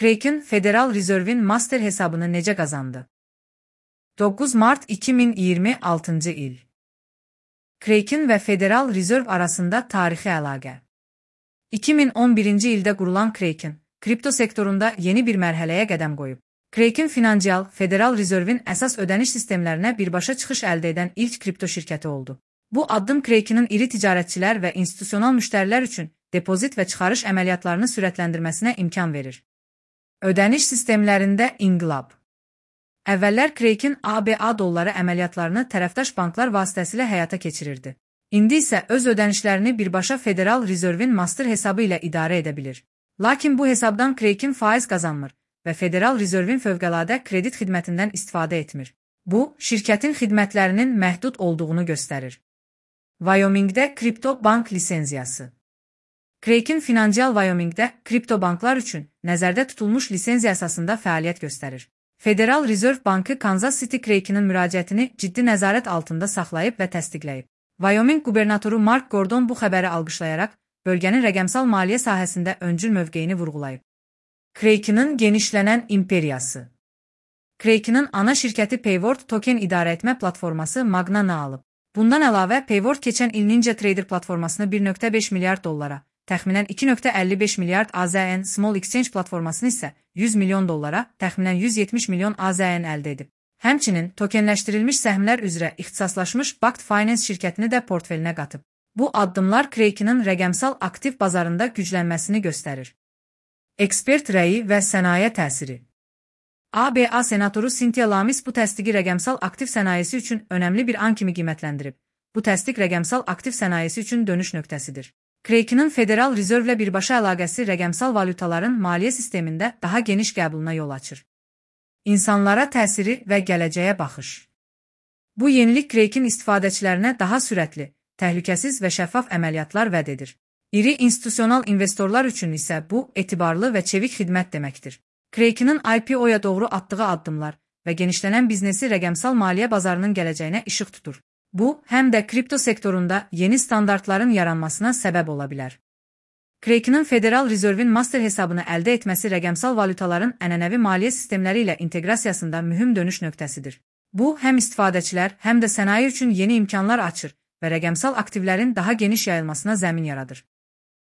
Kraken, Federal Reserve'in master hesabını necə qazandı? 9 Mart 2026 il. Kraken və Federal Reserve arasında tarixi əlaqə. 2011-ci ildə qurulan Kraken, kripto sektorunda yeni bir mərhələyə qədəm qoyub. Kraken Financial, Federal Reserve'in əsas ödəniş sistemlərinə birbaşa çıxış əldə edən ilk kripto şirkəti oldu. Bu addım Kraken'ın iri ticarətçilər və institusional müştərilər üçün depozit və çıxarış əməliyyatlarını sürətləndirməsinə imkan verir. Ödəniş sistemlərində inqilab. Əvvəllər Kraken ABA dolları əməliyyatlarını tərəfdaş banklar vasitəsilə həyata keçirirdi. İndi isə öz ödənişlərini birbaşa Federal Reserve'in master hesabı ilə idarə edə bilir. Lakin bu hesabdan Kraken faiz qazanmır və Federal Reserve'in fövqəladə kredit xidmətindən istifadə etmir. Bu, şirkətin xidmətlərinin məhdud olduğunu göstərir. Wyomingdə kripto bank lisenziyası. Kraken Financial Wyomingdə kripto banklar üçün nəzərdə tutulmuş lisenziya əsasında fəaliyyət göstərir. Federal Reserve Bankı Kansas City Kraken'ın müraciətini ciddi nəzarət altında saxlayıb və təsdiqləyib. Wyoming qubernatoru Mark Gordon bu xəbəri alqışlayaraq bölgənin rəqəmsal maliyyə sahəsində öncül mövqeyini vurğulayıb. Kraken'ın genişlənən imperiyası. Kraken'ın ana şirkəti Payward token idarə etmə platforması Magna-nı alıb. Bundan əlavə, Payward keçən il NinjaTrader platformasını 1.5 milyard dollara, təxminən 2.55 milyard AZN Small Exchange platformasını isə 100 milyon dollara, təxminən 170 milyon AZN əldə edib. Həmçinin, tokenləşdirilmiş səhmlər üzrə ixtisaslaşmış Bakkt Finance şirkətini də portfelinə qatıb. Bu addımlar Kraken'ın rəqəmsal aktiv bazarında güclənməsini göstərir. Ekspert rəyi və sənaye təsiri. ABA senatoru Cynthia Lamis bu təsdiqi rəqəmsal aktiv sənayesi üçün önəmli bir an kimi qiymətləndirib. Bu təsdiq rəqəmsal aktiv sənayesi üçün dönüş nöqtəsidir. Kraken'ın Federal Reserve ilə birbaşa əlaqəsi rəqəmsal valyutaların maliyyə sistemində daha geniş qəbuluna yol açır. İnsanlara təsiri və gələcəyə baxış. Bu yenilik Kraken istifadəçilərinə daha sürətli, təhlükəsiz və şəffaf əməliyyatlar vəd edir. İri institusional investorlar üçün isə bu, etibarlı və çevik xidmət deməkdir. Kraken'ın IPO-ya doğru atdığı addımlar və genişlənən biznesi rəqəmsal maliyyə bazarının gələcəyinə işıq tutur. Bu, həm də kripto sektorunda yeni standartların yaranmasına səbəb ola bilər. Kraken'ın Federal Reserve'in master hesabını əldə etməsi rəqəmsal valyutaların ənənəvi maliyyə sistemləri ilə inteqrasiyasında mühüm dönüş nöqtəsidir. Bu, həm istifadəçilər, həm də sənaye üçün yeni imkanlar açır və rəqəmsal aktivlərin daha geniş yayılmasına zəmin yaradır.